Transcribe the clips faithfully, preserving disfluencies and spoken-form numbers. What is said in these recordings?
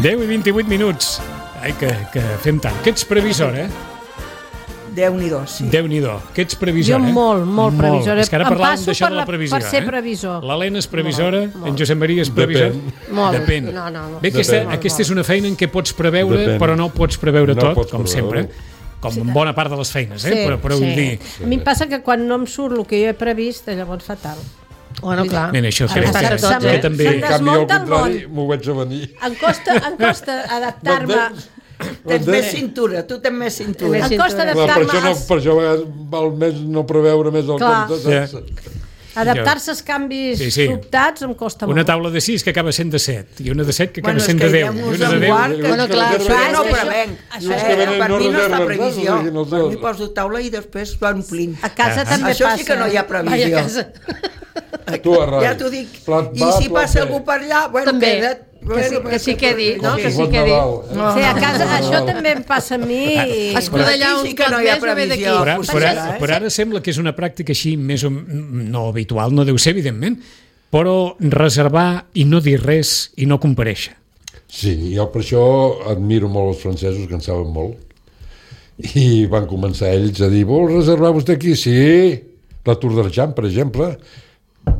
deu i vint-i-vuit minuts. Ai, que, que fem tant. Que ets previsor, eh? Déu-n'hi-do, sí. Déu-n'hi-do. Que ets previsor, jo eh? molt, molt previsora. És que ara Em parlàvem passo d'això per, de la la, previsió, per ser eh? previsor. L'Helena és previsora, Molt, molt. en Josep Maria és previsor. Depèn. Molt. Depèn. No, no, no. Bé, aquesta, Depèn. aquesta és una feina en què pots preveure, Depèn. però no pots preveure No tot, pots com preveure. sempre. Com en bona part de les feines, eh? Sí, però però vull sí. dir... A mi em passa que quan no em surt el que jo he previst, llavors fatal. Bueno, clar. Mira, això Ara crec passa que, tot, que eh? també... Se'n En canvi, al desmunta el contrari, món. m'ho veig a venir. Em costa, em costa adaptar-me... Tens més cintura, tu tens més cintura. Em costa Clar, per adaptar-me això, no, als- per això a vegades val més no preveure més el Clar. compte. Saps? adaptar-se als canvis Sí, sí. sobtats em costa Una molt. taula de sis que acaba sent de set, i una de set que acaba Bueno, és sent que de deu, ja i mos una de en deu... guard, que Bueno, clar, això ja no ho és que prevenc. això- Això, és que venen per no mi no és la reserves, previsió. saps? O sigui, no Per sé. mi poso taula i després va omplint. A casa Ah. també Això passa. sí que no hi ha Vai a previsió. casa. Tu, Arrai. Ja t'ho dic. Plat I va, si plat passa ve. algú per allà, bueno, També. queda't. Que sí- que sí quedi, no? Sí. Que sí Bon quedi. Nadal, eh? Sí, a casa això també em passa a mi. I... Escudelllar Aquí un sí que plat no hi ha més o ve d'aquí. previsió. Però, Potser però, serà, eh? però ara sembla que és una pràctica així més o no habitual, no deu ser, evidentment, però reservar i no dir res i no comparèixer. Sí, jo per això admiro molt els francesos, que en saben molt. I van començar ells a dir, vol reservar vostè aquí? Sí. La Tour d'Argent, per exemple,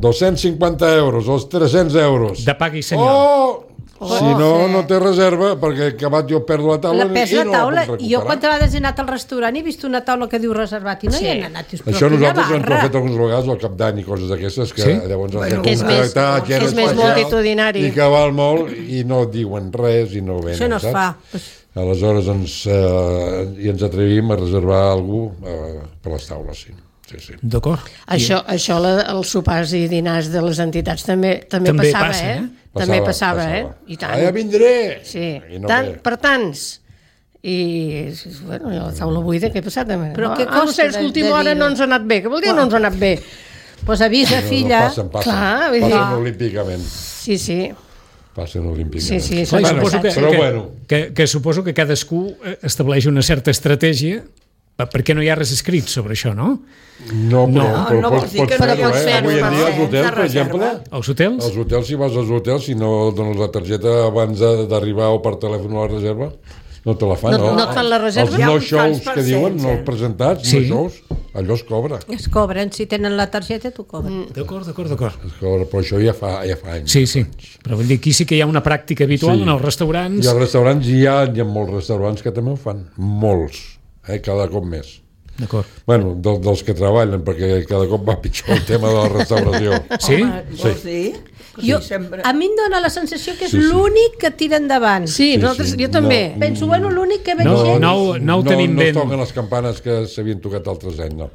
dos-cents cinquanta euros, els tres-cents euros. De pagui senyor. Oh! Si no, sí. no té reserva, perquè acabat jo perdo la taula La pes i la no taula. la puc Jo recuperar. quantes vegades he anat al restaurant i he vist una taula que diu reservat i no Sí. hi he anat. Dius, però Això quina nosaltres ens ho barra. hem fet algunes vegades al cap d'any i coses d'aquestes, que Sí? llavors ens Bueno, hem que és més- contractat gent és més especial multitudinari. i que val molt i no diuen res i no venen, Això no es saps? fa. Aleshores ens, eh, i ens atrevim a reservar algú eh, per les taules, sí. Sí, sí. D'acord? Això, això la, els sopars i dinars de les entitats també també, També passava, passa, eh? eh? També passava, eh? I tant. Ah, ja vindré! Sí, I no tant, ve. per tants. I, bueno, la taula buida, què ha passat? Però què ah, no costa sé, és que de- l'última de hora dir-ho? no ens ha anat bé. Què vol dir no ens ha anat bé? Pues avisa, No, filla. no, passen, passen. Clar, vull dir- passen olímpicament. Sí, sí. Passen olímpicament. Sí, sí, Clar, i Bueno, suposo que, però que, bueno. que, que suposo que cadascú eh, estableix una certa estratègia per- perquè no hi ha res escrit sobre això, no? No, però, No, però no pots, vols dir pots que no fer-ho, pots eh? fer-ho, Avui en dia per als cert, hotels, de per exemple, reserva. Als hotels? als hotels, si vas als hotels, si no dones la targeta abans de- d'arribar o per telèfon a la reserva, no te la fan, No- no? no et fan la reserva? Els Hi ha no uns shows tants que diuen, no percents, eh? presentats, Sí. no shows, allò es cobra. Es cobren, si tenen la targeta t'ho cobren. Mm. D'acord, d'acord, d'acord. Es cobra, però això ja fa, ja fa anys. Sí, sí. Però vull dir, aquí sí que hi ha una pràctica habitual Sí. en els restaurants. I als restaurants hi ha, hi ha molts restaurants que també ho fan, molts, eh? Cada cop més. D'acord. Bueno, del, dels que treballen, perquè cada cop va pitjor el tema de la restauració. Sí? Home, vols dir? Jo, Sí, sempre. a mi em dóna la sensació que és Sí, sí. l'únic que tira endavant. Sí, Sí, nosaltres, sí. jo també. No. Penso, bueno, l'únic que veig No, gent... no, no ho tenim no, ben. No toquen les campanes que s'havien tocat altres anys, no.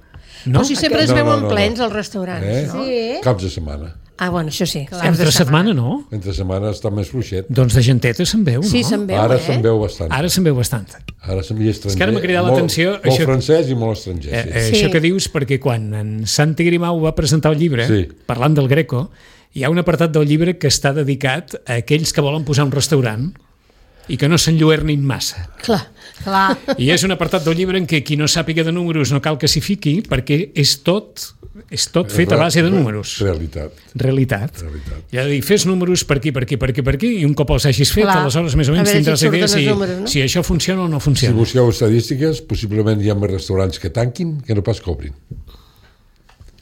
No? O si sempre es No, no, veuen no, no. plens als restaurants. Eh? No? Sí. Caps de setmana. Ah, bueno, això sí. caps de Entre setmana, no? Entre setmana està més fluixet. Doncs de genteta se'n veu, no? Sí, se'n veu, Ara eh? se'n veu bastant. Ara se'n veu bastant. Ara se'n veu estranger. És que ara m'ha cridat Molt- l'atenció, Molt això- francès i molt estranger, Eh, sí. eh, Sí. Això que dius, perquè quan en Santi Grimau va presentar el llibre, Sí. parlant del Greco, hi ha un apartat del llibre que està dedicat a aquells que volen posar un restaurant i que no s'enlluernin massa. Clar. Clar. I és un apartat del llibre en què qui no sàpiga de números no cal que s'hi fiqui, perquè és tot, és tot fet a base de números. Realitat. Realitat. Realitat. I ha de dir, fes números per aquí, per aquí, per aquí, per aquí, i un cop els hagis fet, Clar. aleshores més o menys A veure si tindràs et surten idea els si, números, no? si això funciona o no Si funciona. busqueu estadístiques, possiblement hi ha més restaurants que tanquin que no pas cobrin.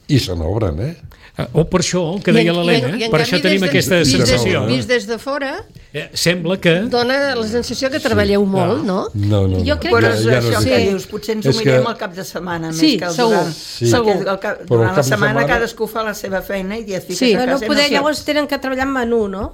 I se n'obren, eh? Eh, O per això, que I en- deia l'Helena, i en- i en per canvi això tenim des de- aquesta vist des- sensació. Vist des de fora, Eh, Sembla que... dona la sensació que treballeu molt, no? No, no, no. Jo crec Però que- és Ja- ja no això és que així. dius, potser ens ho És que- mirem al cap de setmana, Sí, més que el segur. durant. Sí. Segur. Segur. El cap, Però durant el la cap de setmana setmana- cadascú fa la seva feina i et fiques Sí. a Bueno, casa i poder no llavors saps. tenen que treballar en menú, no?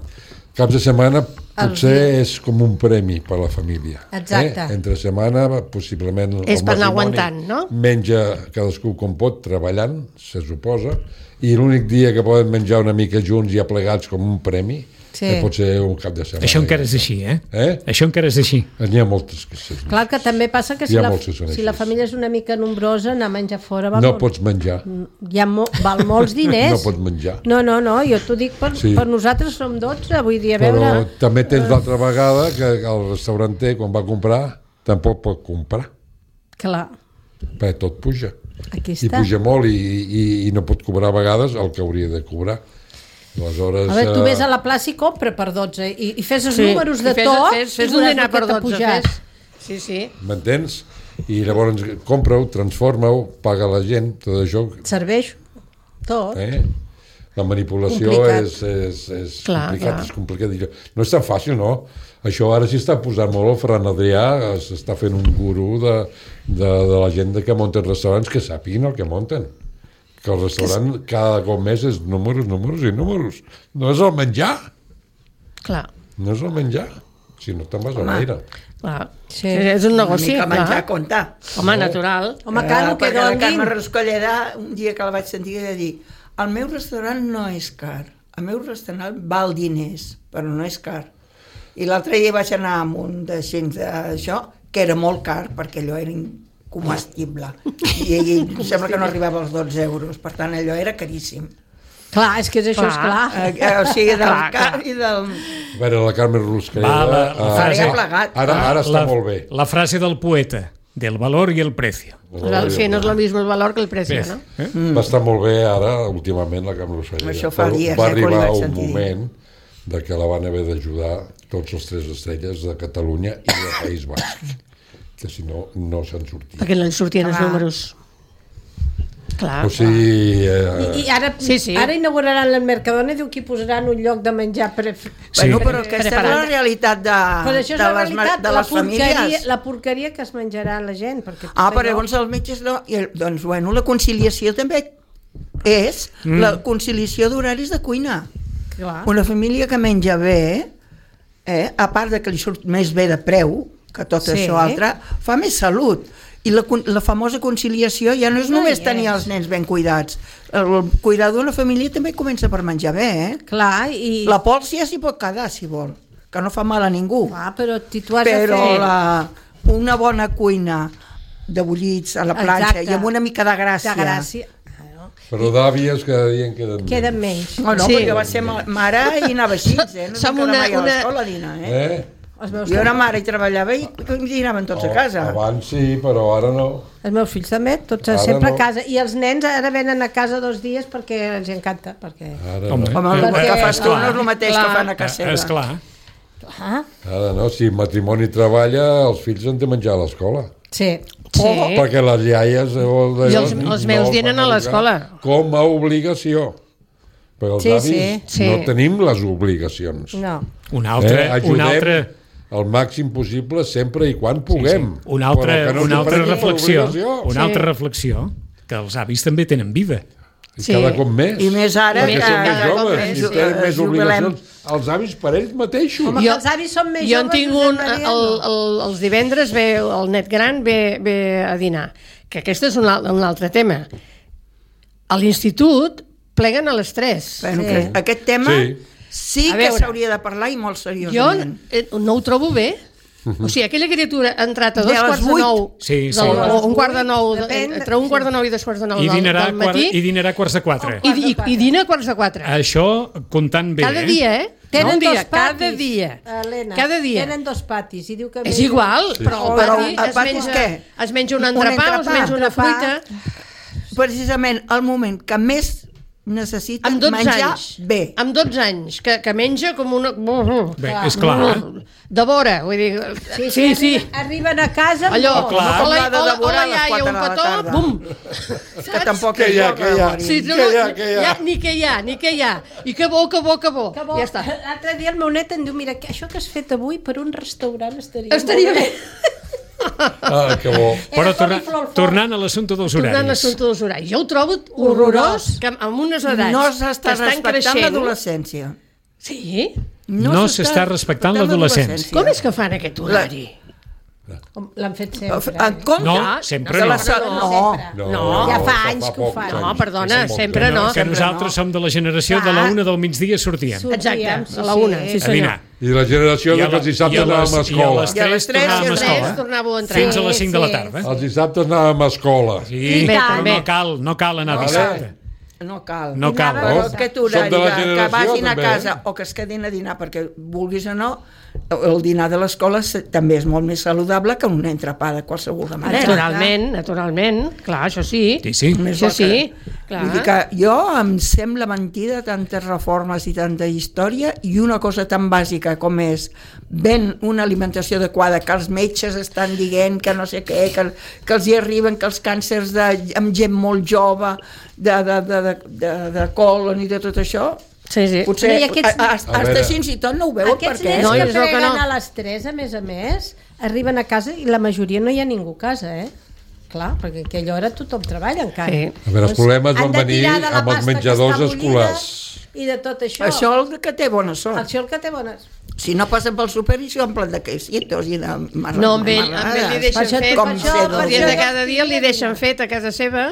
Caps de setmana potser és com un premi per a la família. Exacte. Eh? Entre setmana, possiblement... És el per anar matrimoni aguantant, no? Menja cadascú com pot, treballant, se suposa, i l'únic dia que poden menjar una mica junts i aplegats com un premi, Sí. que pot ser un cap de setmana. Això encara és així, eh? Eh? Això encara és així. N'hi ha moltes que sí. Clar que també passa que si, Hi ha la, molts que són si la així. família és una mica nombrosa, anar a menjar fora val, No molt, pots menjar. hi ha mo, val molts diners. No pots menjar. No, no, no, jo t'ho dic per, Sí. per nosaltres som dotze, vull dir, a Però veure... també tens l'altra vegada que el restauranter, quan va comprar, tampoc pot comprar, Clar, perquè tot puja. aquí I està. puja molt i, i, i no pot cobrar a vegades el que hauria de cobrar. Aleshores... A veure, tu eh, ves a la plaça i compra per dotze i, i fes els Sí. números de I fes, tot Fes, fes i un veuràs dinar el que per t'ha dotze. pujat. Fes... Sí, sí. M'entens? I llavors compra-ho, transforma-ho, paga la gent, tot això... Et serveix tot. Eh? La manipulació Complicat. és, és, és Clar, complicat, clar. és complicat. No és tan fàcil, no? Això ara s'hi està posant molt, el Ferran Adrià s'està fent un gurú de, de, de la gent que munten restaurants que sàpiguin el que munten. Que el restaurant cada cop més és números, números i números. No és el menjar, Clar, no és el menjar. Si no te'n vas a l'aire. clar. Sí. És un Una negoci, mica menjar clar. comptar. Home, natural. Home, clar, el que perquè la donin... Carme Rascolleda, un dia que la vaig sentir, va dir: el meu restaurant no és car, el meu restaurant val diners, però no és car. I l'altre dia vaig anar amb un d'això, d'això, que era molt car, perquè allò era incomestible. I, i em sembla que no arribava als dotze euros, per tant allò era caríssim. Clar, és que és això, Clar. és clar. Eh, eh, o sigui, del Clar, car clar. i del... A veure, la Carme Ruscalleda... Va, la- la eh, frase- Ara ja plegat. Ara, ara està la, molt bé. La frase del poeta, del valor y el precio. Sí, no és el mismo el valor que el precio, Ves, no? eh? Va estar molt bé ara, últimament, la Carme Ruscalleda. Això fa Però dies, va eh, que li arribar vaig un sentir dir. moment de que la van haver d'ajudar tots els tres estrelles de Catalunya i de País Basc, que si no, no se'n sortia. Perquè no li sortien els Clar. números. Clar, O sigui... Eh, I, i ara, Sí, sí. ara inauguraran el Mercadona, diu que hi posaran un lloc de menjar pre... Sí. Bueno, però aquesta és la Preparat. realitat de, Però això és de, la les, ma- realitat, de la les porqueria, famílies. la porqueria que es menjarà la gent. Perquè Ah, tot però allò- llavors els metges no... I, el- doncs, bueno, la conciliació també és mm. la conciliació d'horaris de cuina. Clar. Una família que menja bé, eh, a part de que li surt més bé de preu que tot Sí. això altre, fa més salut. I la, con- la famosa conciliació ja no és No només hi tenir és. els nens ben cuidats. El cuidar d'una família també comença per menjar bé, eh? Clar, i... La pols ja s'hi pot quedar, si vol, que no fa mal a ningú. Clar, però si tu has Però de fer... la, una bona cuina de bullits a la planxa Exacte. i amb una mica de gràcia. De gràcia. Claro. però d'àvies cada dia en queden Queden menys. menys. No, no, Sí. perquè va ser ma- mare i anava així, eh? No Som Som una, una- mai a una- l'escola a dinar, eh? Eh? Els meus, Jo era mare i treballava i dinaven tots a casa. Oh, abans sí, però ara no. els meus fills també, tots Ara sempre no. a casa. I els nens ara venen a casa dos dies perquè els encanta. Perquè... Ara Home. no. Home, el Perquè- que fas tu no és el mateix Clar. que fan a casa seva. És clar. Ah, Ara no. Si matrimoni treballa, els fills han de menjar a l'escola. sí. Sí. Perquè les iaies... eh, I els- els meus dinen a l'escola. Com a obligació. Però els Sí, avis sí. Sí. no tenim les obligacions. No. Un altre, eh? un Ajudem altre, el màxim possible sempre i quan puguem. sí. Una altra, Però que no una s'ho altra prenguin per reflexió, obligació. una Sí. altra reflexió, que els avis també tenen vida. I Sí. cada cop més. I més ara Perquè que- són més cada cop joves més, i eh, tenen més jubilem. obligacions. Els avis per ells mateixos. Home, que els avis són més jo en joves. tinc Josep un, Maria, el, no. el, els divendres ve el net gran ve, ve a dinar, que aquest és un, al- un altre tema. A l'institut pleguen a les tres. Bueno, Sí. que aquest tema Sí. sí, A que veure. s'hauria de parlar i molt Jo seriosament. eh, no ho trobo bé. O sigui, aquella criatura ha entrat a dos De les quarts de vuit. nou, Sí, sí. del, De les o un quart de nou, de, Depèn, entre un quart de nou i dos quarts de nou I del, dinarà, del quart, matí, i dinarà a quarts de quatre. i, i, i dina a quarts de quatre. Això comptant bé, Cada eh? dia, eh? Tenen no un dia, dos patis, cada dia. Helena, Cada dia. Tenen dos patis i diu que... És mengen- igual, però el Però pati, el es, pati és menja, què? es menja un Un entrepà, entrepà, es menja una entrepà. fruita. Precisament el moment que més necessiten Amb dotze menjar anys. bé. Amb dotze anys, que, que menja com una... Bé, és clar. De vora, vull dir... Sí, sí. sí. Arriben a casa... Allò, no. clar. hola, Com la de hola, devorar hola, a les iaia, quatre un de la petó, tarda. bum. Que tampoc Que és hi ha, bo que hi ha. morir. Sí, no, Què no, hi ha, què hi ha? ja, ni què hi ha, ni què hi ha. I que bo, que bo, que bo. Que bo. Ja està. L'altre dia el meu net em diu, mira, que això que has fet avui per un restaurant estaria, Estaria molt bé. Ah, que bo. Però Era torna, coliflor fort. tornant a l'assumpte dels Tornant a horaris. l'assumpte dels horaris. Jo ho trobo horrorós, que amb unes edats No que s'està estan respectant creixent... l'adolescència. Sí? No s'està respectant l'adolescència. Com és que fan aquest horari? Com L'han fet sempre. En compte, No, sempre de no. la sa- no. No. Ja fa anys que ho pocs fan. No, anys, perdona, fa pocs sempre anys. no. Que nosaltres som de la generació de la una del migdia sortíem. Exacte, Sortíem, a la una, sí, A senyor. dinar. I la generació I a de que la- els dissabtes i a les- anàvem a I a escola. les I a les tres tres tornàvem a i a les Tres escola. tornàveu a entrar. Fins a les cinc de la sí. tarda. Els dissabtes anàvem a escola. Sí, Bé, però també. no cal, no cal anar Vale. dissabte. No cal. No cal. Però No? aquest Som horari de la que, que generació, vagin a també, casa eh? o que es quedin a dinar perquè vulguis o no, el dinar de l'escola també és molt més saludable que un entrepà de qualsevol manera. Naturalment, naturalment, clar, això sí. Sí, sí. Més Això bo que- sí, clar. Vull dir que jo em sembla mentida tantes reformes i tanta història i una cosa tan bàsica com és ben una alimentació adequada, que els metges estan dient que no sé què, que, que els hi arriben, que els càncers de, amb gent molt jove, de, de, de, de, de, de colon i de tot això, Sí, sí. potser I aquests- hasta A veure. així i tot no ho veuen Aquests perquè... nens No, que és el que preguen no. a les tres, a més a més, arriben a casa i la majoria no hi ha ningú a casa, eh? Clar, perquè a aquella hora tothom treballa encara. Sí. A veure, els problemes van han de venir tirar de la amb els pasta que menjadors està bullida escolars. I de tot això. Això el que té bona sort. Això el que té bones. Si no passen pel súper i s'ho omplen de quesitos i de mar... No, amb ell, amb ell li deixen Per això- fet, com per això- ser per el dia això- de cada dia li deixen fet a casa seva,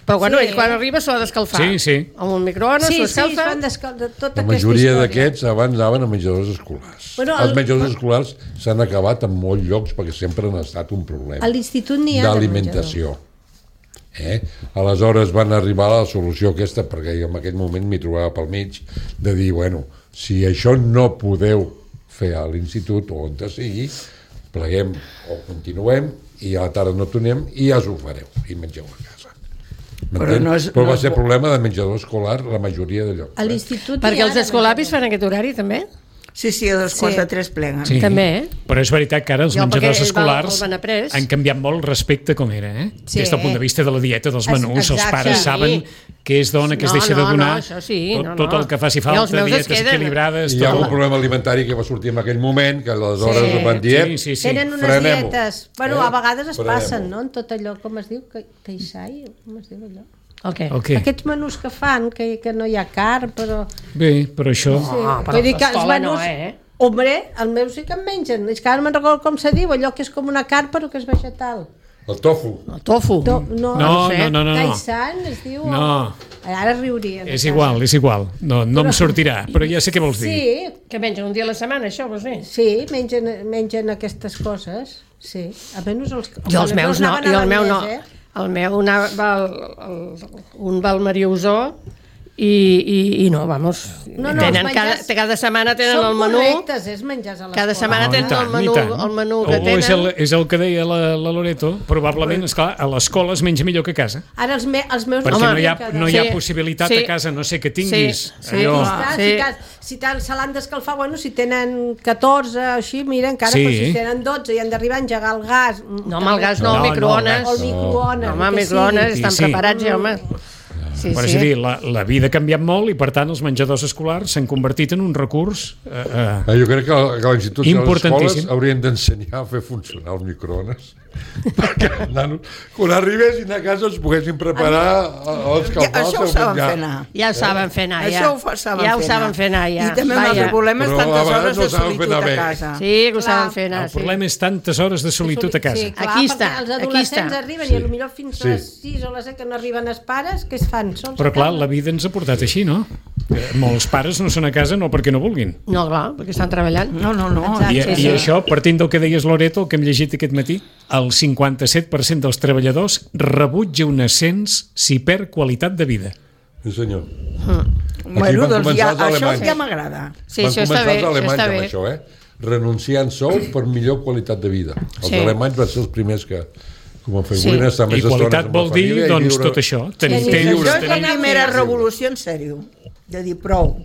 però bueno, Sí. ell quan arriba s'ho ha d'escalfar. Sí, sí. Amb un microones, Sí, s'ho sí, es escalfa. fan d'escal- de tota La aquesta majoria història. d'aquests abans anaven a menjadors escolars. Bueno, el- Els menjadors escolars s'han acabat en molts llocs perquè sempre han estat un problema A l'institut n'hi ha de d'alimentació. Eh? Aleshores van arribar a la solució aquesta, perquè jo en aquell moment m'hi trobava pel mig, de dir, bueno, si això no podeu fer a l'institut o on sigui, pleguem o continuem i a la tarda no tornem i ja us ho fareu i mengeu a casa. Però no és- Però no va és ser bo. problema de menjador escolar la majoria de llocs. A Eh? l'institut Perquè n'hi ha els de escolapis menjador. fan aquest horari també? Sí, sí, a les quarts Sí. de tres pleguen. Sí. També, eh? Però és veritat que ara els Jo, menjadors perquè el val- escolars el Benaprés. han canviat molt respecte a com era, eh? Sí. Des del punt de vista de la dieta, dels Es- menús, els exacte. pares Sí. saben què es dona, què es No, deixa no, de donar, no, això sí, tot, no, tot no. el que faci I falta, els meus es dietes queden. equilibrades... I hi ha tot. un problema alimentari que va sortir en aquell moment, que aleshores Sí. sí. van dir, Sí, sí, sí. Tenen unes frenem-ho. dietes... Bueno, Eh? a vegades es Frenem-ho. passen, no? En tot allò, com es diu? Que, Keisai? Com es diu allò? El què? El què? Aquests menús que fan, que, que no hi ha carn, però... Bé, però això... Sí. Ah, però Vull dir que els l'escola menús... no, eh? Hombre, els meus sí que en mengen. És que ara no me'n recordo com se diu, allò que és com una carn però que és vegetal. El tofu. El tofu. No, no, No, sé. no, no, no. no. Kaisan es diu... No. Ara riurien. És igual, és igual. No, no em sortirà, però ja sé què vols dir. Sí, Que mengen un dia a la setmana, això, vols dir? sí, mengen, mengen aquestes coses. Sí, almenys els... Jo els meus no, anaven i a el meu no. l'Agnès, eh? El meu anava, va, al, al, un va al Mariusó i, i, i no, vamos, No, no, tenen els cada, menjars cada setmana tenen Són el menú, correctes, és menjars a l'escola. cada setmana No, i tenen tant, el menú, i tant. el menú O que és el, tenen. és el que deia la, la Loreto, probablement, esclar, a l'escola es menja millor que a casa, Ara els, me, els meus... perquè Home, no hi ha, cada- no hi ha Sí, possibilitat sí. a casa, no sé què tinguis. Sí, sí. allò... Està, Sí. Si, t'has- si t'han- se l'han d'escalfar, bueno, si tenen catorze o així, mira, encara, Sí. però si tenen dotze i han d'arribar a engegar el gas... No, amb el gas no, No, el no, microones. O el microones, No, home, el que microones, sigui. estan Sí, sí. preparats ja, home. Sí, Però és a dir, la, la vida ha canviat molt i, per tant, els menjadors escolars s'han convertit en un recurs... Eh, eh, Eh, Jo crec que, que l'institut i les escoles Importantíssim. haurien d'ensenyar a fer funcionar el microones perquè els nanos, quan arribessin a casa, es poguessin preparar o Ja, escalfar el això ho seu saben menjar. fer anar. Ja ho saben fer anar, ja. Això ho fa, saben ja ho fer saben anar. fer anar, ja. I també un Vaja. altre problema és Però a tantes vegades hores no de saben fer solitud anar a bé. casa. Sí, que ho Clar. saben fer anar, el sí. problema és tantes hores de solitud a casa. Sí, clar, Aquí perquè està, els aquí adolescents està. arriben Sí. i potser fins a les Sí. sis o les set que no arriben els pares, què es fan? Sols Però a clar, casa? la vida ens ha portat així, no? Que molts pares no són a casa no perquè no vulguin. No, clar, perquè estan treballant. No, no, no. Exacte. I, Sí, I sí. això, partint del que deies, Loreto, el que hem llegit aquest matí, el cinquanta-set per cent dels treballadors rebutja un ascens si perd qualitat de vida. Sí, senyor. Bueno, van doncs començar ja, els això alemanys. ja m'agrada. Sí, Van això està començar bé, els això alemanys està amb bé. això, eh? Renunciant sou per millor qualitat de vida. Els Sí. alemanys van ser els primers que, que ho van fer. Sí. Volien estar més I qualitat estones amb la vol dir, família i doncs, viure- tot això. Tenir Sí, sí, temps, Això és la tenir... primera Sí. revolució en sèrio, de dir prou.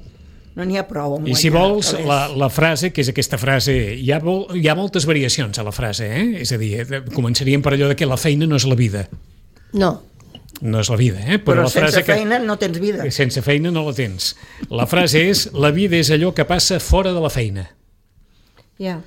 No n'hi ha prou amb I si guanyar vols, calés. la, la frase, que és aquesta frase, hi ha, vol, hi ha moltes variacions a la frase, eh? És a dir, eh, començaríem per allò de que la feina no és la vida. No. No és la vida, eh? Però la sense frase que, feina no tens vida. sense feina no la tens. La frase és, la vida és allò que passa fora de la feina, Ja.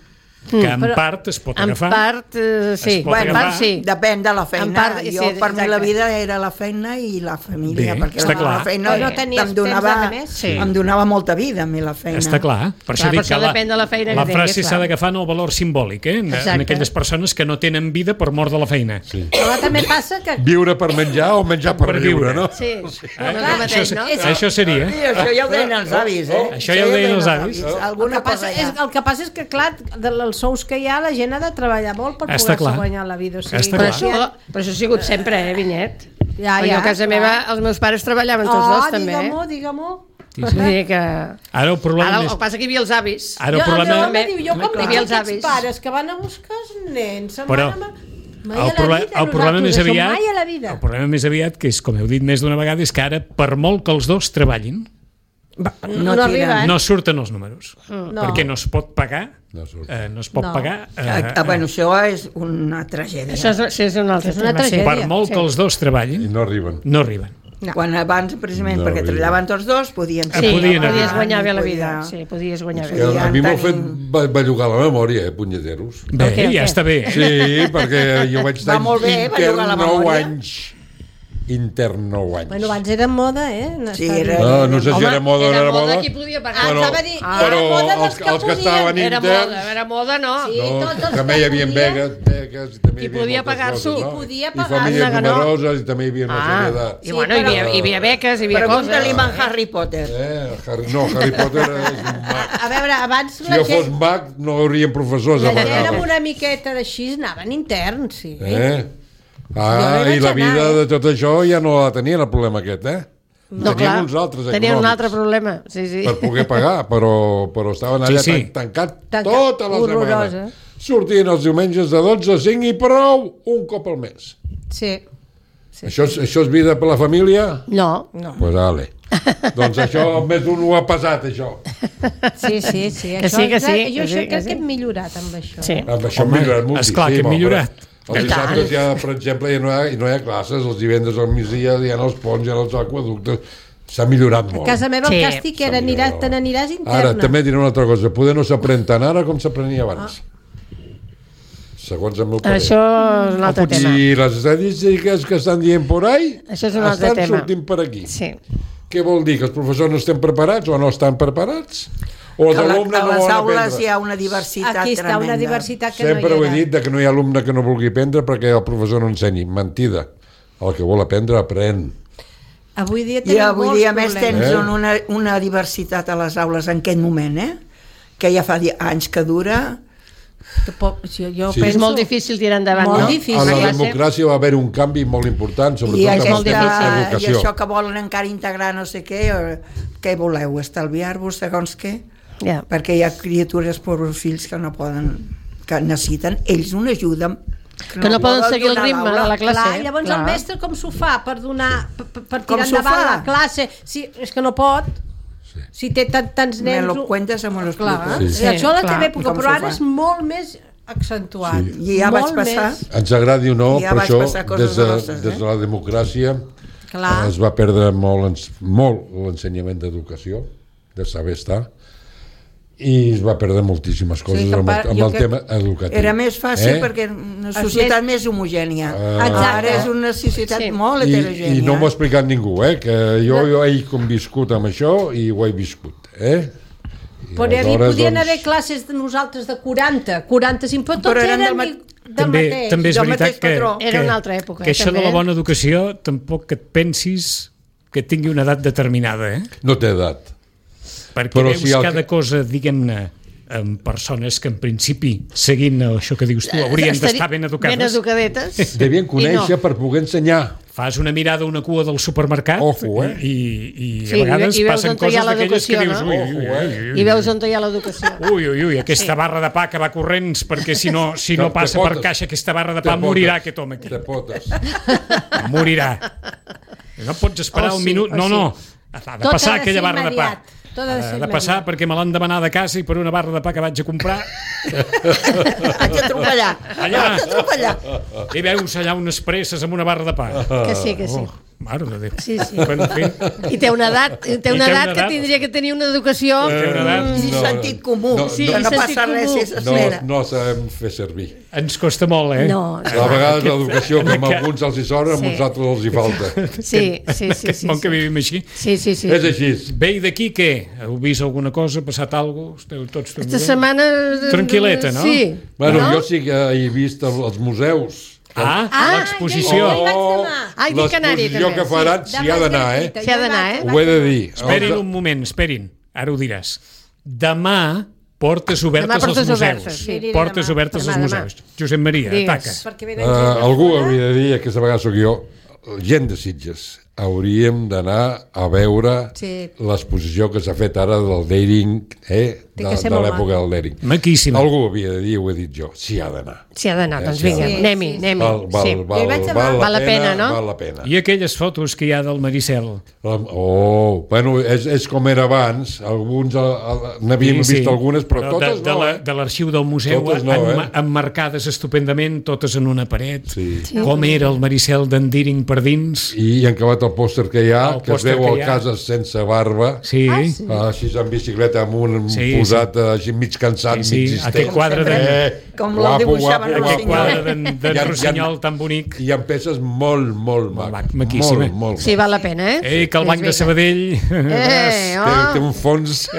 que en Però- part es pot En agafar. part, eh, sí. Es pot En agafar. part, sí. Depèn de la feina. En part, jo, sí, per mi, la exacte. vida era la feina i la família, Bé, perquè està la, clar. la feina O no tenies em donava, temps de més? Sí. em donava molta vida, a mi, la feina. Està clar. Per Clar, això dic per que això la, depèn de la feina que la tinguis, frase clar. s'ha d'agafar en el valor simbòlic, eh? En, en Exacte. aquelles persones que no tenen vida per mort de la feina. Sí. Però també passa que... Viure per menjar o menjar per, Per viure, viure. no? Sí, Eh? no és el Això, mateix, se- no? això seria. Sí, això ja ho deien els avis, eh? Això ja ho deien els avis. El Alguna que, passa cosa és, ja. el que passa és que, clar, dels sous que hi ha, la gent ha de treballar molt per Està poder-se clar. guanyar la vida. O sigui, Està Però clar. això, però això ha sigut sempre, eh, Vinyet? Ja, Perquè ja, a casa clar. meva els meus pares treballaven tots Oh, dos, també. digue-m'ho, Eh? digue-m'ho. Sí, Vull sí. dir que... Ara el problema Ara, el és... que passa que hi havia els avis. Ara el Jo, problema... el meu home diu, jo com Clar. tinc Els aquests avis. pares que van a buscar els nens, se'n Però van a... Mai el, a la proble vida, el problema més nosaltres, això aviat mai a la vida. el problema més aviat, que és com heu dit més d'una vegada, és que ara, per molt que els dos treballin, No, No no arriba, tiren. eh? no surten els números, No. perquè no es pot pagar, No surt. eh, no es pot No. pagar. Eh, Ah, ah, bueno, això és una tragèdia. Això és, això és un altre És una tema, sí. tragèdia. per molt sí. que els dos I treballin, no arriben. no arriben. No. Quan abans, precisament, No, perquè vull dir- treballaven tots dos, podien... Ah, Sí, podien podies arribar. guanyar bé la vida. Podia- Sí, podies guanyar Que bé. a mi m'ho ha fet tenim- ba- bellugar la memòria, eh, punyeteros. Bé, Ok, ok. ja està bé. Sí, perquè jo vaig estar Va molt bé, bellugar la intern nou memòria. anys. Intern nou anys. Bueno, abans era moda, eh? Sí, Estar- era- No, no sé si Home, era moda o no era era moda, moda. qui podia pagar. Ah, Però, anava a dir, Ah, era però moda dels els, que els que podien. estaven Era interns... moda, era moda, no. Sí. No, tots els també que hi havia podien. beques, beques, i també Qui hi havia podia moltes pagar-s'ho. coses, no? Qui podia I pagar. famílies Anda que no. numeroses i també hi havia una Ah, sèrie de... i bueno, hi havia, hi havia beques, hi havia Pregunta-li coses. a Harry Potter. Eh, Harry, no, Harry Potter és un mag. A veure, abans Si la jo fos gent, mag no hi haurien professors a la gent amb vegades. una miqueta d'així anaven interns, sí. Eh? Jo Ah, no hi i vaig la anar, vida eh? de tot això ja no la tenien, el problema aquest, eh? No, Tenien clar, uns altres tenien un econòmics altre problema. Sí, sí. per poder pagar, però, però estaven allà Sí, sí. tan, tancats Tancat. tota la Horrorós, setmana. eh? Sortien els diumenges de dotze a cinc i prou, un cop al mes. Sí. Sí. Això, és, això és vida per la família? No. No. Pues ale. Doncs això més d'un ho ha passat, això. Sí, sí, sí. Que això, sí, que sí, Jo que això sí, que crec sí. que hem millorat amb això. Sí. Amb això Home, hem millorat moltíssim. esclar que hem home. millorat. Els I tant. dissabtes ja, per exemple, ja no hi ha, no hi ha classes, els divendres al migdia hi ha els ponts, hi ha els aquaductes... S'ha millorat A molt. casa meva Sí. el càstig era aniràs, te n'aniràs interna. Ara, també diré una altra cosa. Poder no s'aprèn tant ara com s'aprenia abans. Segons el meu parer. Això és un altre tema. I les estadístiques que estan dient por ahí Això és un altre estan tema. sortint per aquí. Sí. Què vol dir? Que els professors no estem preparats o no estan preparats? O els A, la, alumnes a no les volen aules aprendre? hi ha una diversitat Aquí està tremenda. una diversitat que Sempre no ho hi he era. dit de que no hi ha alumne que no vulgui aprendre perquè el professor no ensenyi. Mentida. El que vol aprendre, aprèn. Avui dia I tenim avui molts dia, a més, problemes. tens Eh? una, una diversitat a les aules en aquest moment, eh? Que ja fa di- anys que dura. Que po- si jo Sí. penso... És molt difícil tirar endavant. Molt no? difícil. A la Clar, sí. democràcia va haver un canvi molt important, sobretot I, amb el aquesta, tema de I l'educació. això que volen encara integrar no sé què, o, què voleu, estalviar-vos segons què? Ja. Perquè hi ha criatures, pobres fills, que no poden, que necessiten ells una ajuda Que no poden seguir el donar a ritme l'aula. de la classe. Clar, llavors Clar. el mestre com s'ho fa per donar per, per- per Com tirar s'ho endavant fa? la classe? Si, és que no pot. Sí. Si té tant, tants Me nens... lo cuentes o me lo Clar, expliques. Sí. sí. Això a la clar. teva època, Com però s'ho ara fa? és molt més accentuat. Sí. I ja molt vaig passar. Més. Ens agradi o no, Ja per vaig això, passar coses des de, grosses, eh? des de la democràcia Clar. es va perdre molt, ens- molt l'ensenyament d'educació, de saber estar, i es va perdre moltíssimes coses que amb, pa- el- amb jo el crec- tema educatiu. Era més fàcil Eh? perquè una societat més homogènia. Ah. Exacte. Ara és una societat Sí. molt I, heterogènia. I no m'ho ha explicat ningú, eh? Que jo, jo he conviscut amb això i ho he viscut, eh? I Podria dir, aleshores, podien doncs, haver classes de nosaltres de quaranta, quaranta-cinc, però tots Però eren eren, del ma- del També, mateix. també és del veritat mateix que, patró. que, Era una altra època, que eh, això també, de la eh? bona educació tampoc que et pensis que tingui una edat determinada, eh? no té edat. Perquè Però veus si el cada que- cosa, diguem-ne, amb persones que en principi, seguint això que dius tu, haurien Estaria- d'estar ben educades. Ben educadetes. Devien conèixer I no. per poder ensenyar. Fas una mirada a una cua del supermercat Ojo, eh? i, i, i Sí, a vegades i veus passen on hi ha coses d'aquelles que l'educació, dius no? ui, ui, Ojo, ui, ui, I veus on hi ha l'educació. ui, ui, ui, aquesta Sí. barra de pa que va corrents perquè si no, si no Te- passa te per potes. caixa aquesta barra de Te pa morirà potes. aquest home aquí. Te potes. Morirà. No pots esperar Oh, un sí, minut. oh, No, sí. no. Ha de Tot passar ha de aquella ser barra de pa. immediat. Tot ha de Ha ser de passar immediat. perquè me l'han demanar de casa i per una barra de pa que vaig a comprar Haig d'atropellar. allà Haig d'atropellar. i veus allà unes presses amb una barra de pa. Que sí, que sí. Oh, mare de Déu. Sí, sí. Bueno, en fi, I té una edat, té una I té una edat que edat. tindria que tenir una educació... té una edat. I No, sentit comú. no, Sí, que no sentit passa res comú. si s'espera. No, no sabem fer servir. Ens costa molt, eh? No, A vegades l'educació, que a aquest- alguns els hi sobra, a Sí. uns altres els hi falta. sí, sí, sí. Aquest sí, món que sí. vivim així. Sí, sí, sí. És així. Bé, i d'aquí què? Heu vist alguna cosa? Ha passat alguna cosa? Esteu tots Esta tranquils? setmana... Tranquil·leta, no? Sí. Bueno, no? jo sí que he vist el- els museus. Ah, Ah, l'exposició. ja hi vaig demà. Ai, dic Canari, l'exposició també. que faran s'hi ha d'anar, eh? S'hi ha d'anar, eh? Ho he de dir. Esperin Els- un moment, esperin. Ara ho diràs. Demà, portes obertes Demà portes als museus. obertes, sí. Aniré Portes demà. obertes als Demà, demà. museus. Josep Maria, Digues. ataca. Perquè Uh, venen gent de algú fora. hauria de dir, aquesta vegada sóc jo, gent de Sitges. hauríem d'anar a veure Sí. l'exposició que s'ha fet ara del Dering, eh? Té de, que ser de molt l'època maco. del Dering. Maquíssima. Algú havia de dir, ho he dit jo, s'hi ha d'anar. S'hi ha d'anar, doncs Sí, vinga, sí. anem-hi, Sí, anem-hi. Val, val, Sí. val, Jo hi vaig val, anar. la Val la pena, pena, no? val la pena. I aquelles fotos que hi ha del Maricel. Oh, bueno, és, és com era abans, alguns a, a, n'havíem vist algunes, però, totes de, de no, la, eh? de l'arxiu del museu, Totes no, emma- eh? emmarcades estupendament, totes en una paret. Sí. Sí. Com era el Maricel d'en Dering per dins. I, i han acabat el pòster que hi ha, El que es pòster veu que al hi ha. Cases sense barba, Sí, Ah, sí. sí. ah, així en bicicleta amb un Sí, posat eh, així mig cansat, Sí, sí, mig distent. aquest quadre de- Eh, Com el guapo, dibuixaven guapo, el Aquest guapo. quadre d'en Hi d'en ha- hi ha- Rossinyol tan bonic. Hi ha peces molt, molt Molt mac. mac, maquíssima. Molt, molt Sí, val la pena, eh? Ei, que el Sí, Banc és de Sabadell... Eh, Té, oh, té un fons,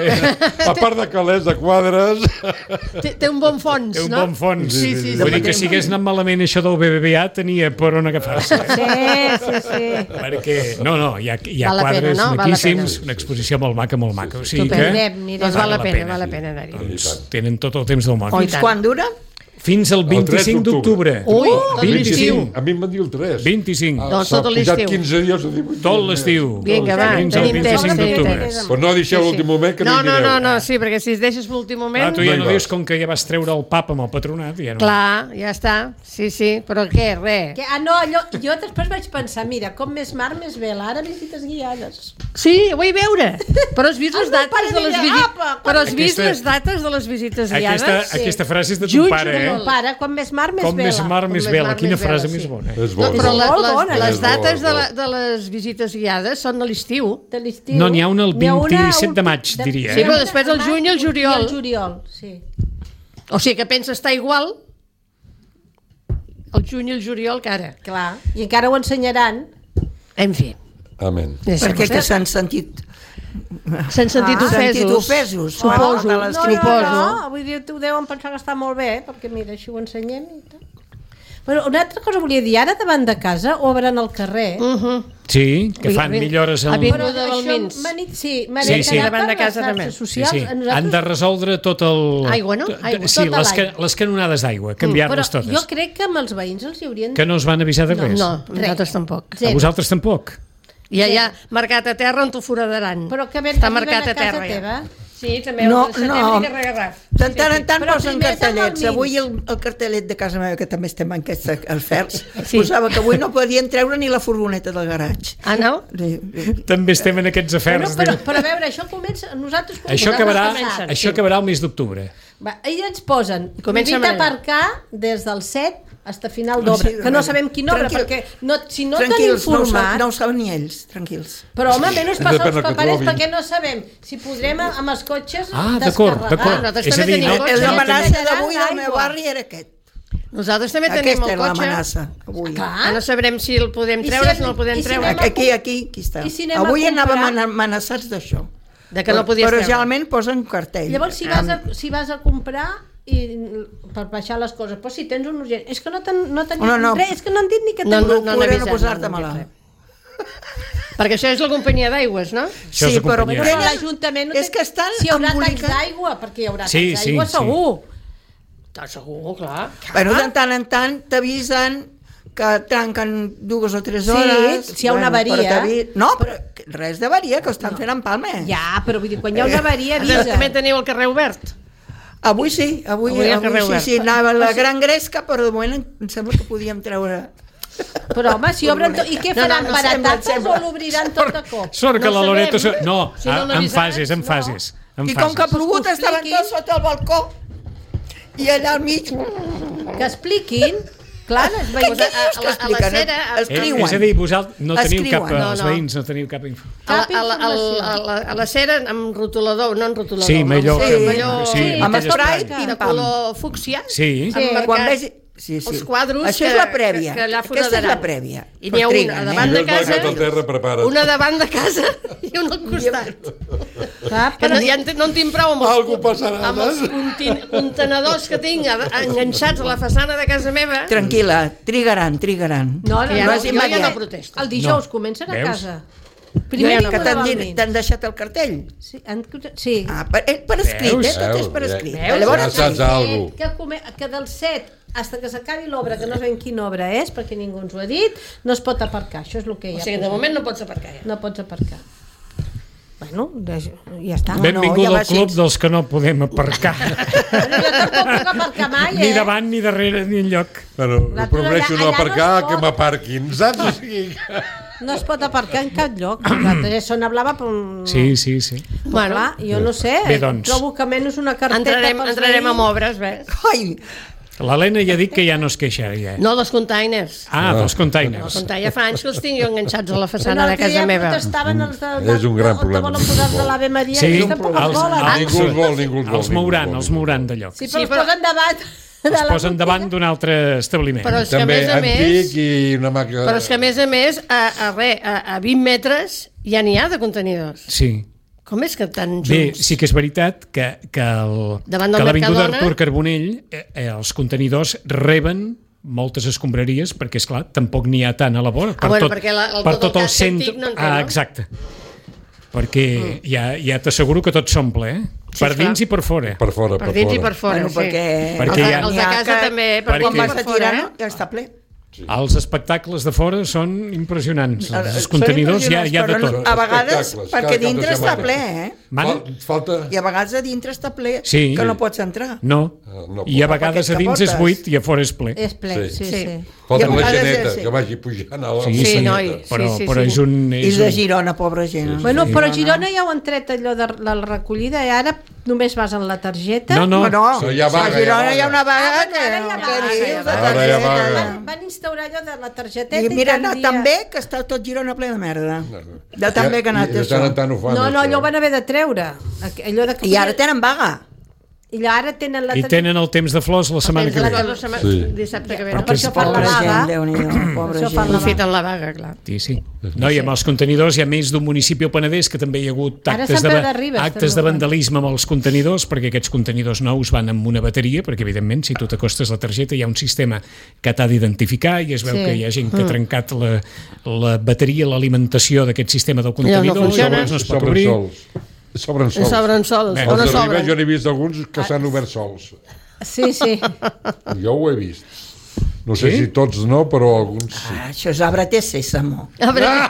a part de calés de quadres, té, té un bon fons, Té un no? bon fons. Sí, sí, sí. Vull dir que si hagués anat malament això del B B V A tenia per on agafar-se. Sí, sí, sí. Perquè, no, no, hi ha, hi ha Val la pena, quadres no? Val la maquíssims, pena. una exposició molt maca, molt maca. O sigui Estupendo. que Anirem, anirem. Doncs val la Val la pena, pena, val la sí. pena anar-hi. doncs, tenen tot el temps del món. Oh, i Fins tant. quan dura? Fins al vint-i-cinc d'octubre. Ui, tot l'estiu. vint-i-cinc. a mi em van dir el tres. vint-i-cinc. Ah, Doncs s'ha tot pujat l'estiu. quinze dies a divuit. Tot l'estiu. Vinga, va, Fins al tenim temps, vint-i-cinc tenim d'octubre. temps. Però no deixeu l'últim moment que no, No, hi no, anireu. no, no, sí, perquè si es deixes per l'últim moment... Ah, tu ja No hi no vas. dius com que ja vas treure el pap amb el patronat. Ja no. Clar, ja està, sí, sí, però què, res. Que, ah, no, allò, jo després vaig pensar, mira, com més mar, més vela, ara visites guiades. Sí, ho vull veure, però has vist les El meu dates pare de les deia, visites... "Apa, Però has vist Aquesta- les dates de les visites Aquesta, guiades? aquesta frase és de ton Juny, pare, juliol. eh? El pare, com més mar, més Com vela. més mar, Com més més vela. mar, Quina més vela, frase sí. més bona. És bo, No, és però bo. la, Molt les, bona. les És bo, dates és de, bo. la, de les visites guiades són a l'estiu. De l'estiu. No, n'hi ha una el N'hi ha una vint-i-set de un- maig, diria, Sí, eh? però després el juny i el juliol. I el juliol, sí. O sigui que pensa estar igual el juny i el juliol que ara. Clar, i encara ho ensenyaran. En fi. Amén. Perquè que s'han sentit... S'han sentit Ah, ofesos. sentit ofesos. Suposo, Ah, de les No, no, suposo. no, vull dir, ho deuen pensar que està molt bé, perquè mira, així ho ensenyem i tal. Bueno, una altra cosa volia dir, ara davant de casa obren al carrer. Uh -huh. Sí, que fan Avi- millores en... avi- Però de això Balmins. m'ha dit- sí, m'ha Sí, dit sí. que Davant de per les casa també. xarxes Sí, socials, sí. a nosaltres- Han de resoldre tot el... Aigua, no? tot- Aigua. Sí, Tota les, ca... l'aigua. les canonades d'aigua, Però canviar-les totes. jo crec que amb els veïns els hi haurien... Que no us van avisar de res? No, nosaltres tampoc. A Zero. vosaltres tampoc? Ja hi ha marcat a terra on t'ho foradaran. Però que ben Està arriben marcat a a casa terra. teva. Ja. Sí, també No, el de no. setembre i Garraf. De tant en tant Però posen primer cartellets. som Avui almins. el, el cartellet de casa meva, que també estem en aquests afers, Sí. posava que avui no podien treure ni la furgoneta del garatge. Ah, no? Sí, sí. També estem en aquests Però, afers. però, de- però a veure, això comença... Nosaltres Això nosaltres acabarà, comencem. això acabarà el mes d'octubre. Va, ells ens posen Comença prohibit a manejar. aparcar des del set fins final d'obra, Sí, que no sabem quina obra, tranquil. perquè no, si no t'han Tranquils, no ho, informat... sab, no ho saben ni ells, tranquils. Però home, menys passa Depèn els del que paperers trobin. perquè no sabem si podrem amb els cotxes Ah, d'acord, descarregar. d'acord. nosaltres És a també dir, tenim no, cotxe. És ja l'amenaça tenim- d'avui del meu Aigua. barri era aquest. Nosaltres també tenim Aquesta el era cotxe. l'amenaça, avui. Clar. Ah, no sabrem si el podem I treure, si si no el podem i si treure. anem a- Aquí, aquí, aquí està. I si anem a Avui comprar- anàvem amenaçats d'això. De que no podies Però treure. generalment posen cartell. Llavors, si vas, a, si vas a comprar i, per baixar les coses, però si tens un urgent, és que no t'han no t'han dit No, no. res, és que no han dit ni que No, tens... no, no, Procura n'avisem, no posar-te no, no, malalt. Perquè això és la companyia d'aigües, no? Això és Sí, la però companyia. Però Tenen- l'Ajuntament no és que estan si hi haurà tancs embolicat- d'aigua, perquè hi haurà Sí, tancs sí, d'aigua sí. segur. Està segur, clar. Bueno, de tant en tant t'avisen que tanquen dues o tres Sí, hores. si hi ha una Bueno, però avaria. t'avi- No, però res d'avaria, que ho estan fent en Palma. Ja, però vull dir, quan hi ha una avaria, avisa. També teniu el carrer obert. Avui sí, avui, Avui avui, al carrer sí, obert. sí, anava la gran gresca, però de moment em sembla que podíem treure... Però home, si obren tot... I què No, no, faran, no, baratapes sembla, o l'obriran tot de cop? Sort que No la Loreto... sabem. No, Si no a- en n'avisaran, fases, en no. fases. En I com que ha fases. plogut Que ho estaven expliquin. tots sota el balcó i allà al mig... Que expliquin, clar, els veïns... Pues a, a, dius que a, la- a la expliquen? cera... A, Es- Eh, escriuen. és a dir, vosaltres no teniu Escriuen. cap... No, Els no. veïns no teniu cap info. a, la, Cap a, la, a, la, informació. a, la, a la cera amb rotulador, no en rotulador. Sí, millor. Sí. Millor, sí, amb aquell spray, spray. pim, de pam. color fúcsia. Sí. Sí. Amb Quan marcat vegi... Sí, sí. els quadros Això que, és la prèvia. que, que allà Aquesta és foradaran. la prèvia. I n'hi ha Però una triguen, a eh? davant de Ves marcat casa, al terra, prepara't. una davant de casa i una al costat. Clar, Que no, però... ja en, te- no en tinc prou amb els, Algú passarà, amb els contin- contenedors que tinc a- enganxats a la façana de casa meva. Tranquil·la, trigaran, trigaran. No, no, Que ja no, no, és jo ja no immediat. protesto. El dijous No. comencen a Veus? casa. Jo ja no Que vinga t'han de dit- Balmins. t'han deixat el cartell? Sí, han... sí. Ah, per, eh, per escrit, Veus? eh? Tot és per Veus, escrit. veus? Llavors, Ja saps alguna Que, come, que del set hasta que s'acabi l'obra, que no sabem quina obra és, perquè ningú ens ho ha dit, no es pot aparcar, això és el que hi ha. O sigui, de moment no pots aparcar ja. No pots aparcar. Bueno, ja està. Benvingut no, ja al club dels que no podem aparcar. Bueno, jo tampoc puc aparcar mai, eh? Ni davant, ni darrere, ni enlloc. Bueno, La prefereixo allà- no allà aparcar no es que pot. m'aparquin, saps? O sigui, No es pot aparcar en cap lloc. Nosaltres zona blava, però... Sí, sí, sí. Bueno, clar, jo no sé, Bé, doncs. trobo que menys una carteta Entrarem, pels entrarem veïns. amb obres, ves? Ai, L'Helena ja ha dit que ja no es queixa. Ja. No, dels containers. Ah, dels Els containers. containers ja fa anys que els tinc jo enganxats a la façana L'altre de casa dia meva. protestaven els de, És un gran on problema. volen posar de l'Ave Maria, Sí, i tampoc els els- volen. els- ningú els vol, ningú els vol. Els ningú mouran, vol, els ningú mouran de lloc. Sí, però Sí, els però- posen davant de Els la posen botiga. davant d'un altre establiment. Però és que a També més a més... antic i una màquina... Però és que a més a més, a, a, re, a, a vint metres ja n'hi ha de contenidors. Sí. Com és que tan junts? Bé, sí que és veritat que, que, el, Davant del que l'avinguda Mercadona- Artur Carbonell, eh, eh, els contenidors reben moltes escombraries, perquè, és clar tampoc n'hi ha tant a la vora. Ah, bueno, perquè la- el- per tot el el casc antic no en té, Ah, no? exacte. Perquè ja, ja t'asseguro que tot s'omple, eh? Sí, Per clar. dins i per fora. Per fora, per, Per dins i fora. per fora, bueno, sí. perquè... Perquè els, ja- els n'hi de ha casa que- també, per perquè- Quan dins i vas per a fora, tirar, eh? no? Ja està ple. Els espectacles de fora són impressionants. Són Els contenidors ja, impressionants, ja de però tot. A vegades, Espectacles, cada perquè cap de dintre està setmana. ple, eh? Mana? Fal- Falta... I a vegades a dintre està ple, Sí. que no pots entrar. No. Ah, no I a pot. vegades a Perquè dins és capotes. buit i a fora és ple. És ple, sí, Sí. sí. Sí. Falta I a la vegades geneta, és- sí. que vagi pujant a la... Sí, Sí, sí, noi, però, sí, sí, però sí. és un... I És de un... Girona, pobra gent. Bueno, Sí. però a Girona ja ho han tret allò de la recollida i ara només vas en la targeta. No, no, No, No, hi ha vaga, a Girona hi ha hi ha una vaga Ah, que... ara hi ha que vaga, dius, ara hi ha de vaga. Ara hi ha targeta. vaga. Van, van instaurar allò de la targeteta I i, mira, ha cada anat dia... tan bé que està tot Girona ple de merda. De tan bé que ha anat I de tant això. en tant ho fan, No, no, això. allò ho van haver de treure. Allò de... I ara tenen vaga. I ara tenen la I targeta... tenen el temps de flors la setmana que La ve. cosa setmana- Sí. Dissabte que ve. Però no? per és això fan la pobra vaga. gent, Déu-n'hi-do, pobra Això fan gent. la vaga. Aprofiten la vaga, clar. Sí, sí. No, i amb els contenidors hi ha més d'un municipi al Penedès que també hi ha hagut Ara actes, Sant de, Pere de Ribes, actes de també. vandalisme amb els contenidors, perquè aquests contenidors nous van amb una bateria, perquè evidentment si tu t'acostes la targeta hi ha un sistema que t'ha d'identificar i es veu Sí. que hi ha gent que ha trencat la, la bateria, l'alimentació d'aquest sistema del contenidor, funciona. llavors no es pot Sobren obrir. sols. Sobren sols. Sobren sols, Bé, o no Els de Ribes sobren. jo n'he vist alguns que s'han obert sols. Sí, sí. Jo ho he vist. No sé Sí? si tots no, però alguns sí. Ah, això és arbre té sèsamo. A veure,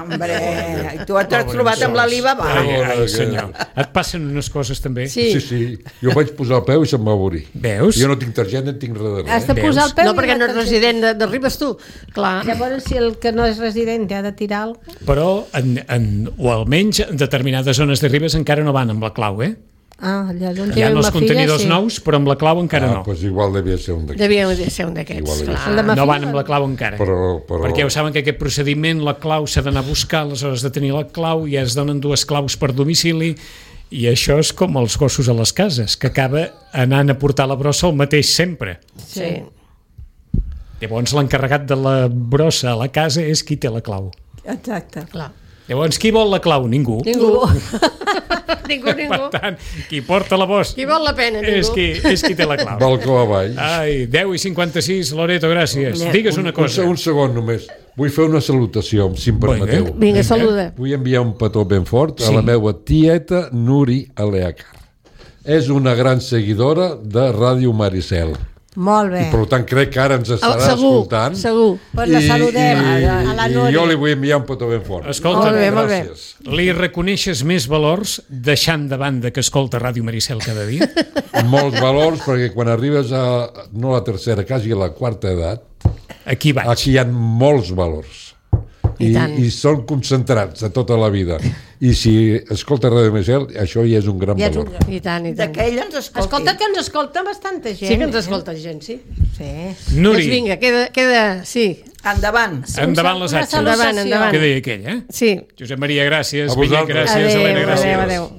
Hombre, tu t'has trobat amb l'Alibaba. Ai, ai, Bona, senyor. Et passen unes coses també. sí. Sí, sí. Jo vaig posar el peu i se'm va obrir. Veus? Jo no tinc targeta, en tinc res de Has res. de posar el peu... No, i perquè la no ets targeta. resident de, de Ribes, tu. Clar. Llavors, si el que no és resident ha de tirar alguna cosa... Però, en, en, o almenys en determinades zones de Ribes encara no van amb la clau, eh? Ah, allà on Hi ha tenen els ma contenidors filla, sí. nous, però amb la clau encara Ah, no. doncs igual devia ser un d'aquests. Devia ser un Igual d'aquests, és. El de clar. ma No filla, van amb la clau encara. Però, però... Perquè ja ho saben que aquest procediment, la clau s'ha d'anar a buscar, aleshores de tenir la clau i es donen dues claus per domicili i això és com els gossos a les cases, que acaba anant a portar la brossa al mateix sempre. Sí. Llavors l'encarregat de la brossa a la casa és qui té la clau. Exacte. Clar. Llavors qui vol la clau? Ningú. Ningú. ningú, Per ningú. tant, qui porta la bossa Qui vol la pena, és ningú. qui, és qui té la clau. Balcó avall. Ai, deu i cinquanta-sis, Loreto, gràcies. Digues una Un, cosa. un segon només. Vull fer una salutació, si em permeteu. Vinga. Vinga, saluda. Vull enviar un petó ben fort a Sí. la meva tieta Nuri Aleacar. És una gran seguidora de Ràdio Maricel. Molt bé. I per tant crec que ara ens estarà Ah, segur, escoltant. segur. Pues la saludem, I, a la i, Nuri. i jo li vull enviar un petó ben fort. Escolta, Molt bé, molt bé. Gràcies. li reconeixes més valors deixant de banda que escolta Ràdio Maricel cada dia? Molts valors, perquè quan arribes a, no a la tercera, quasi a la quarta edat, Aquí vaig. aquí hi ha molts valors. I I, tant. i són concentrats de tota la vida. I si escolta Ràdio Maricel, això ja és un gran Ja és un valor. I tant, i tant. D'aquell ens escolti. Escolta, que ens escolta bastanta gent. Sí que ens eh? escolta gent, sí. Sí. Nuri, Doncs vinga, queda, queda, sí, Endavant. endavant les Una atxes. Endavant, salutació. endavant. Què deia aquell, eh? sí. Josep Maria, gràcies. A Vinyet, vosaltres. gràcies. Adéu, Helena, gràcies. adéu, adéu.